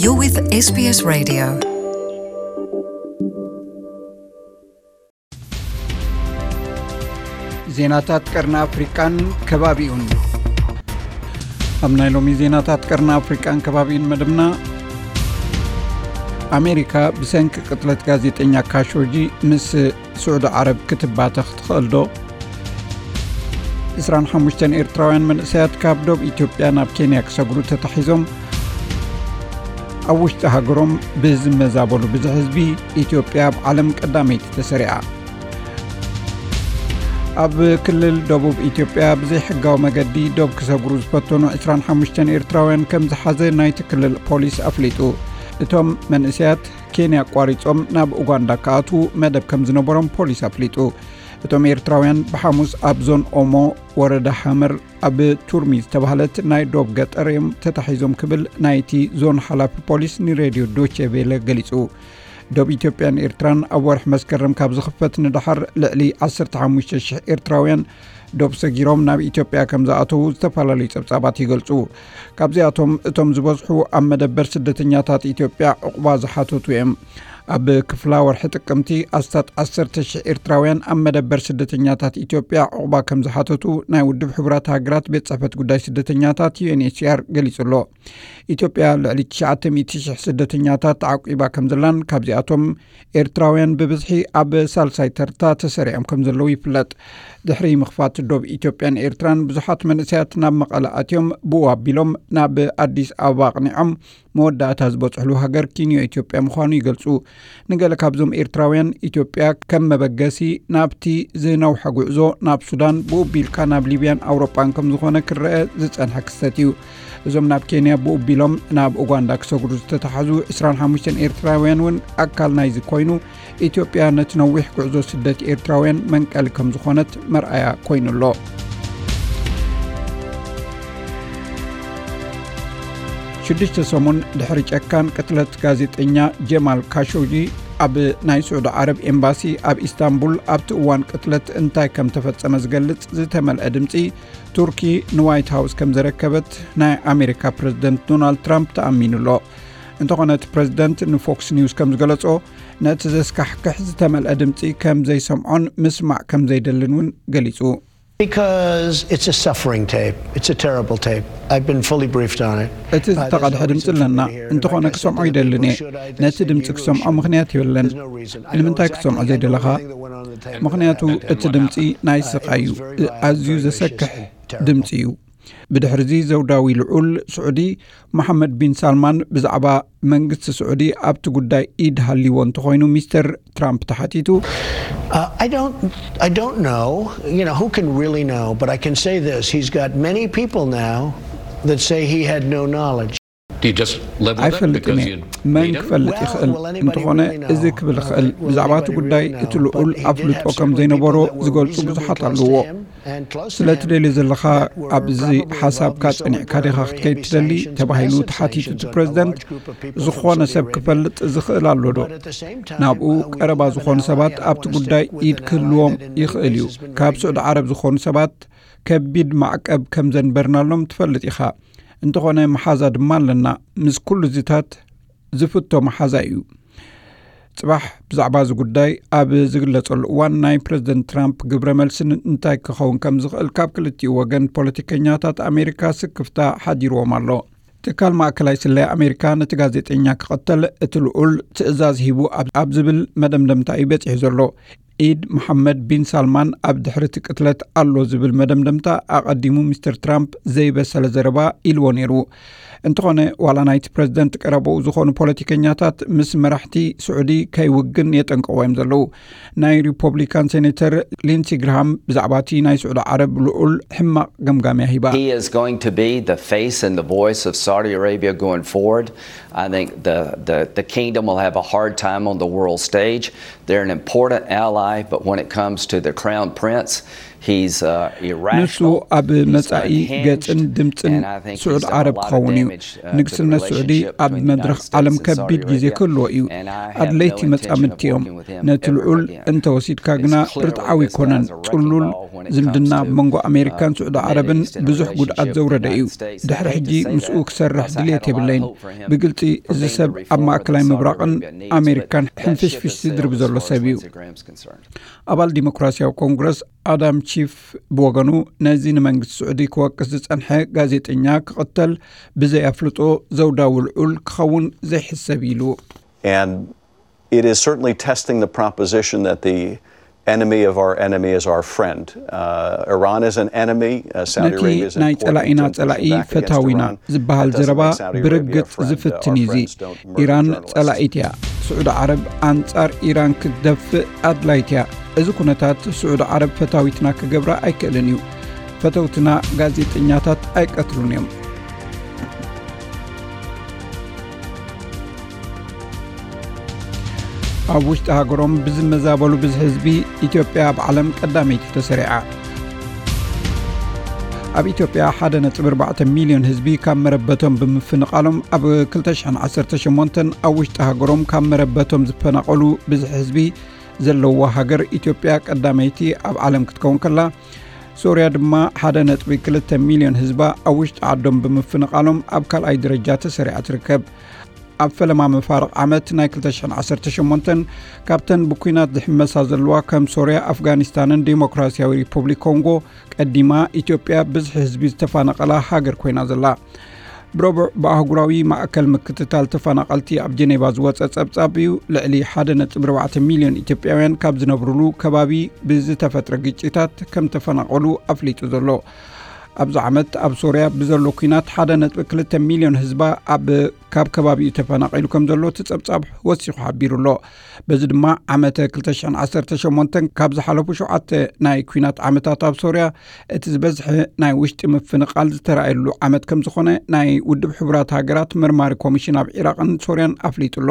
You're with S B S Radio. ዜናታት ቀርኒ ኣፍሪቃን ከባቢኡን። ኣብ ናይ ሎሚ ዜናታት ቀርኒ ኣፍሪቃን ከባቢኡን መደብና፣ ኣሜሪካ ብሰንኪ ቅትለት ጋዜጠኛ ካሾጂ ምስ ስዑዲ ዓረብ ክትባተኽ ትኽእል ዶ? ዕስራን ሓሙሽተን ኤርትራውያን መንእሰያት ካብ ዶብ ኢትዮጵያ ናብ ኬንያ ክሰግሩ ተታሒዞም። ኣብ ውሽጢ ሃገሮም ብዝመዛበሉ ብዝሒ ህዝቢ፣ ኢትዮጵያ ኣብ ዓለም ቀዳመይቲ ተሰሪዓ። ኣብ ክልል ደቡብ ኢትዮጵያ ብዘይሕጋዊ መገዲ ዶብ ክሰግሩ ዝፈተኑ ዕስራን ሓሙሽተን ኤርትራውያን ከም ዝሓዘ ናይቲ ክልል ፖሊስ ኣፍሊጡ። እቶም መንእሰያት ኬንያ ኣቋሪጾም ናብ ኡጋንዳ ክኣትዉ መደብ ከም ዝነበሮም ፖሊስ ኣፍሊጡ። እቶም ኤርትራውያን ብሓሙስ ኣብ ዞን ኦሞ፣ ወረዳ ሓመር፣ ኣብ ቱርሚ ዝተባህለት ናይ ዶብ ገጠር እዮም ተታሒዞም ክብል ናይቲ ዞን ሓላፊ ፖሊስ ንሬድዮ ዶቼ ቬለ ገሊጹ። ዶብ ኢትዮጵያን ኤርትራን ኣብ ወርሒ መስከረም ካብ ዝኽፈት ንደሓር፣ ልዕሊ ዓሰርተ ሓሙሽተ ሽሕ ኤርትራውያን ዶብ ሰጊሮም ናብ ኢትዮጵያ ከም ዝኣተዉ ዝተፈላለዩ ጸብጻባት ይገልጹ። ካብዚኣቶም እቶም ዝበዝሑ ኣብ መደበር ስደተኛታት ኢትዮጵያ ዕቑባ ዝሓተቱ እዮም። ኣብ ክፍላ ወርሒ ጥቅምቲ፣ ኣስታት ዓሰርተ ሽሕ ኤርትራውያን ኣብ መደበር ስደተኛታት ኢትዮጵያ ዕቑባ ከም ዝሓተቱ ናይ ውድብ ሕቡራት ሃገራት ቤት ጽሕፈት ጉዳይ ስደተኛታት፣ ዩ ኤን ኤች ሲ ኣር፣ ገሊጹ ኣሎ። ኢትዮጵያ ልዕሊ ትሽዓተ ሚእቲ ሽሕ ስደተኛታት ተዓቂባ ከም ዘላን ካብዚኣቶም ኤርትራውያን ብብዝሒ ኣብ ሳልሳይ ተርታ ተሰሪዖም ከም ዘለዉ ይፍለጥ። ድሕሪ ምኽፋት ዶብ ኢትዮጵያን ኤርትራን፣ ብዙሓት መንእሰያት ናብ መቐለ ኣትዮም፣ ብኡ ኣቢሎም ናብ ኣዲስ ኣበባ ኣቕኒዖም መወዳእታ ዝበጽሕሉ ሃገር ኪንዮ ኢትዮጵያ ምዃኑ ይገልጹ። ንገለ ካብዞም ኤርትራውያን፣ ኢትዮጵያ ከም መበገሲ ናብቲ ዝነውሐ ጉዕዞ ናብ ሱዳን፣ ብኡ ኣቢልካ ናብ ሊብያን ኣውሮጳን ከም ዝኾነ ክረአ ዝጸንሐ ክስተት እዩ። እዞም ናብ ኬንያ ብኡ ኣቢሎም ናብ ኡጋንዳ ክሰግሩ ዝተታሕዙ ዕስራን ሓሙሽተን ኤርትራውያን እውን ኣካል ናይዚ ኮይኑ፣ ኢትዮጵያ ነቲ ነዊሕ ጉዕዞ ስደት ኤርትራውያን መንቀሊ ከም ዝኾነት መርኣያ ኮይኑ ኣሎ። ሽዱሽተ ሰሙን ድሕሪ ጨካን ቅትለት ጋዜጠኛ ጀማል ካሾጂ፣ ኣብ ናይ ስዑዲ ዓረብ ኤምባሲ ኣብ ኢስታንቡል ኣብቲ እዋን ቅትለት እንታይ ከም ተፈጸመ ዝገልጽ ዝተመልአ ድምጺ ቱርኪ ንዋይት ሃውስ ከም ዘረከበት ናይ ኣሜሪካ ፕረዚደንት ዶናልድ ትራምፕ ተኣሚኑ ኣሎ። እንተኾነ እቲ ፕረዚደንት ንፎክስ ኒውስ ከም ዝገለጾ፣ ነቲ ዘስካሕክሕ ዝተመልአ ድምጺ ከም ዘይሰምዖን ምስማዕ ከም ዘይደልን እውን ገሊጹ። Because it's a suffering tape. It's a terrible tape. I've been fully briefed on it. እቲ ዝተቐድሐ ድምፂ ኣለና። እንተኾነ ክሰምዖ ይደልን እየ። ነቲ ድምፂ ክሰምዖ ምኽንያት የብለን። ንምንታይ ክትሰምዖ ዘይደለኻ? ምኽንያቱ እቲ ድምፂ ናይ ስቓይ እዩ። ኣዝዩ ዘሰክሕ ድምፂ እዩ። ብድሕሪዚ ዘውዳዊ ልዑል ስዑዲ መሓመድ ቢን ሳልማን ብዛዕባ መንግስቲ ስዑዲ ኣብቲ ጉዳይ ኢድ ሃልይዎ እንተኾይኑ ሚስተር ትራምፕ ተሓቲቱ። Uh, I don't, I don't know. You know, who can really know? But I can say this: he's got many people now that say he had no knowledge. Do you just live with it because you need him? ኣይፈልጥን እየ። መን ክፈልጥ ይኽእል? እንተኾነ፣ እዚ ክብል እኽእል፣ ብዛዕባ እቲ ጉዳይ እቲ ልዑል ኣፍልጦ ከም ዘይነበሮ ዝገልጹ ብዙሓት ኣለዎ። ስለ ትደልዮ ዘለኻ ኣብዚ ሓሳብካ ጸኒዕካ ዲኻ ክትከይድ ትደሊ? ተባሂሉ ተሓቲቱ እቲ ፕረዚደንት። ዝኾነ ሰብ ክፈልጥ ዝኽእል ኣሎ ዶ? ናብኡ ቀረባ ዝኾኑ ሰባት ኣብቲ ጉዳይ ኢድ ክህልዎም ይኽእል እዩ። ካብ ስዑዲ ዓረብ ዝኾኑ ሰባት ከቢድ ማዕቀብ ከም ዘንበርናሎም ትፈልጥ ኢኻ። እንተኾነ መሓዛ ድማ ኣለና። ምስ ኩሉ ዝታት ዝፍቶ መሓዛ እዩ። ጽባሕ ብዛዕባ እዚ ጉዳይ ኣብ ዝግለጸሉ እዋን ናይ ፕረዚደንት ትራምፕ ግብረ መልሲ እንታይ ክኸውን ከም ዝኽእል ካብ ክልቲኡ ወገን ፖለቲከኛታት ኣሜሪካ ስክፍታ ሓዲርዎም ኣሎ። ትካል ማእከላይ ስለያ ኣሜሪካ ነቲ ጋዜጠኛ ክቐተል እቲ ልዑል ትእዛዝ ሂቡ ኣብ፣ ኣብ ዝብል መደምደምታ እዩ በጺሑ ዘሎ። ኢድ መሓመድ ቢን ሳልማን ኣብ ድሕሪ እቲ ቅትለት ኣሎ ዝብል መደምደምታ ኣቐዲሙ ሚስተር ትራምፕ ዘይበሰለ ዘረባ ኢልዎ ነይሩ። እንተኾነ፣ ዋላ ናይቲ ፕረዚደንት ቀረባኡ ዝኾኑ ፖለቲከኛታት ምስ መራሕቲ ስዑዲ ከይውግን የጠንቅቕዎ እዮም ዘለዉ። ናይ ሪፖብሊካን ሴኔተር ሊንሲ ግርሃም ብዛዕባ እቲ ናይ ስዑዲ ዓረብ ልዑል ሕማቕ ገምጋምያ ሂባ። He is going to be the face and the voice of Saudi Arabia going forward. I think the, the, the kingdom will have a hard time on the world stage. They're an important ally, but when it comes to the crown prince, ንሱ ኣብ መጻኢ ገጽን ድምጽን ስዑድ ዓረብ ክኸውን እዩ። ንግስነት ስዑዲ ኣብ መድረኽ ዓለም ከቢድ ግዜ ክህልዎ እዩ። ኣድለይቲ መጻምድቲ እዮም። ነቲ ልዑል እንተወሲድካ ግና ርትዓዊ ኣይኮነን። ጽሉል ዝምድና ኣብ መንጎ ኣሜሪካን ስዑዲ ዓረብን ብዙሕ ጉድኣት ዘውረደ እዩ። ድሕሪ ሕጂ ምስኡ ክሰርሕ ድልየት የብለይን። ብግልጺ፣ እዚ ሰብ ኣብ ማእከላይ ምብራቕን ኣሜሪካን ሕንፍሽፍሽ ዝድርብ ዘሎ ሰብ እዩ። ኣባል ዲሞክራሲያዊ ኮንግረስ ኣዳም ቺፍ ብወገኑ፣ ነዚ ንመንግስቲ ስዑዲ ክወቅስ ዝጸንሐ ጋዜጠኛ ክቕተል ብዘይ ኣፍልጦ ዘውዳዊ ልዑል ክኸውን ዘይሕሰብ ኢሉ። And it is certainly testing the proposition that the enemy of our enemy is our friend. Uh, Iran is an enemy. Uh, Saudi ነቲ Arabia is ናይ important ጸላኢና in pushing ጸላኢ back against ፈታዊና Iran. ዝበሃል That doesn't ዘረባ make Saudi Arabia a ብርግጽ friend. Uh, ዝፍትን our እዩ። እዚ friends don't murder ኢራን journalists. ጸላኢት እያ። ስዑዲ ዓረብ ኣንጻር ኢራን ክትደፍእ ኣድላይት እያ። እዚ ኩነታት ስዑዲ ዓረብ ፈታዊትና ክገብራ ኣይክእልን እዩ። ፈተውትና ጋዜጠኛታት ኣይቀትሉን እዮም። ኣብ ውሽጢ ሃገሮም ብዝመዛበሉ ብዝሒ ህዝቢ፣ ኢትዮጵያ ኣብ ዓለም ቀዳመይቲ ተሰሪዓ። ኣብ ኢትዮጵያ ሓደ ነጥቢ ኣርባዕተ ሚልዮን ህዝቢ ካብ መረበቶም ብምፍንቓሎም፣ ኣብ ክልተ ሽሕን ዓሰርተ ሸሞንተን ኣብ ውሽጢ ሃገሮም ካብ መረበቶም ዝፈናቐሉ ብዝሒ ህዝቢ ዘለዋ ሃገር ኢትዮጵያ ቀዳመይቲ ኣብ ዓለም ክትከውን ከላ፣ ሶርያ ድማ ሓደ ነጥቢ ክልተ ሚልዮን ህዝባ ኣብ ውሽጢ ዓዶም ብምፍንቓሎም ኣብ ካልኣይ ደረጃ ተሰሪዓ ትርከብ። ኣብ ፈለማ መፋርቕ ዓመት ናይ ክልተ ሽሕን ዓሰርተ ሸሞንተን ካብተን ብኲናት ዝሕመሳ ዘለዋ ከም ሶርያ፣ ኣፍጋኒስታንን ዴሞክራሲያዊ ሪፐብሊክ ኮንጎ ቀዲማ ኢትዮጵያ ብዝሒ ህዝቢ ዝተፋነቐላ ሃገር ኮይና ዘላ። ብረቡዕ ብኣህጉራዊ ማእከል ምክትታል ተፈናቐልቲ ኣብ ጀኔቫ ዝወጸ ጸብጻብ እዩ። ልዕሊ ሓደ ነጥቢ ኣርባዕተ ሚልዮን ኢትዮጵያውያን ካብ ዝነብሩሉ ከባቢ ብዝተፈጥረ ግጭታት ከም ተፈናቐሉ ኣፍሊጡ ዘሎ። ኣብዚ ዓመት ኣብ ሶርያ ብዘሎ ኲናት ሓደ ነጥቢ ክልተ ሚልዮን ህዝባ ኣብ ካብ ከባቢኡ ተፈናቒሉ ከም ዘሎ እቲ ጸብጻብ ወሲኹ ሓቢሩ ኣሎ። በዚ ድማ ዓመተ ክልተ ሽሕን ዓሰርተ ሸሞንተን ካብ ዝሓለፉ ሸውዓተ ናይ ኲናት ዓመታት ኣብ ሶርያ እቲ ዝበዝሐ ናይ ውሽጢ ምፍንቓል ዝተራእየሉ ዓመት ከም ዝኾነ ናይ ውድብ ሕቡራት ሃገራት መርማሪ ኮሚሽን ኣብ ዒራቕን ሶርያን ኣፍሊጡ ኣሎ።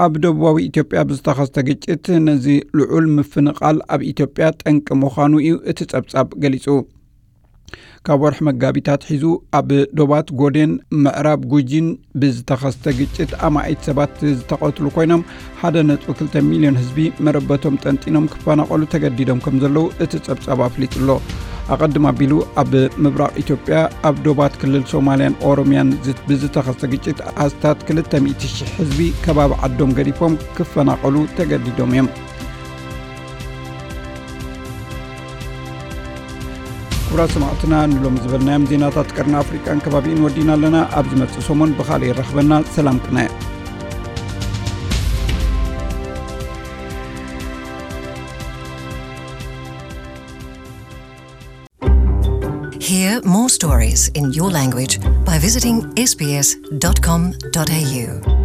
ኣብ ደቡባዊ ኢትዮጵያ ብዝተኸስተ ግጭት ነዚ ልዑል ምፍንቓል ኣብ ኢትዮጵያ ጠንቂ ምዃኑ እዩ እቲ ጸብጻብ ገሊጹ። ካብ ወርሒ መጋቢት ኣትሒዙ ኣብ ዶባት ጎዴን ምዕራብ ጉጂን ብዝተኸስተ ግጭት ኣማኢት ሰባት ዝተቐትሉ ኮይኖም፣ ሓደ ነጥቢ ክልተ ሚልዮን ህዝቢ መረበቶም ጠንጢኖም ክፈናቐሉ ተገዲዶም ከም ዘለዉ እቲ ጸብጻብ ኣፍሊጡ ኣሎ። ኣቐድም ኣቢሉ ኣብ ምብራቕ ኢትዮጵያ ኣብ ዶባት ክልል ሶማልያን ኦሮምያን ዝ- ብዝተኸስተ ግጭት ኣስታት ክልተ ሚእቲ ሽሕ ህዝቢ ከባቢ ዓዶም ገዲፎም ክፈናቐሉ ተገዲዶም እዮም። ክቡራት ሰማዕትና፣ ንሎም ዝበልናዮም ዜናታት ቀርኒ ኣፍሪቃን ከባቢኡን ወዲና ኣለና። ኣብ ዝመጽእ ሰሙን ብኻልእ ይራኽበና። ሰላም ቅነ። Hear more stories in your language by visiting S B S dot com dot A U.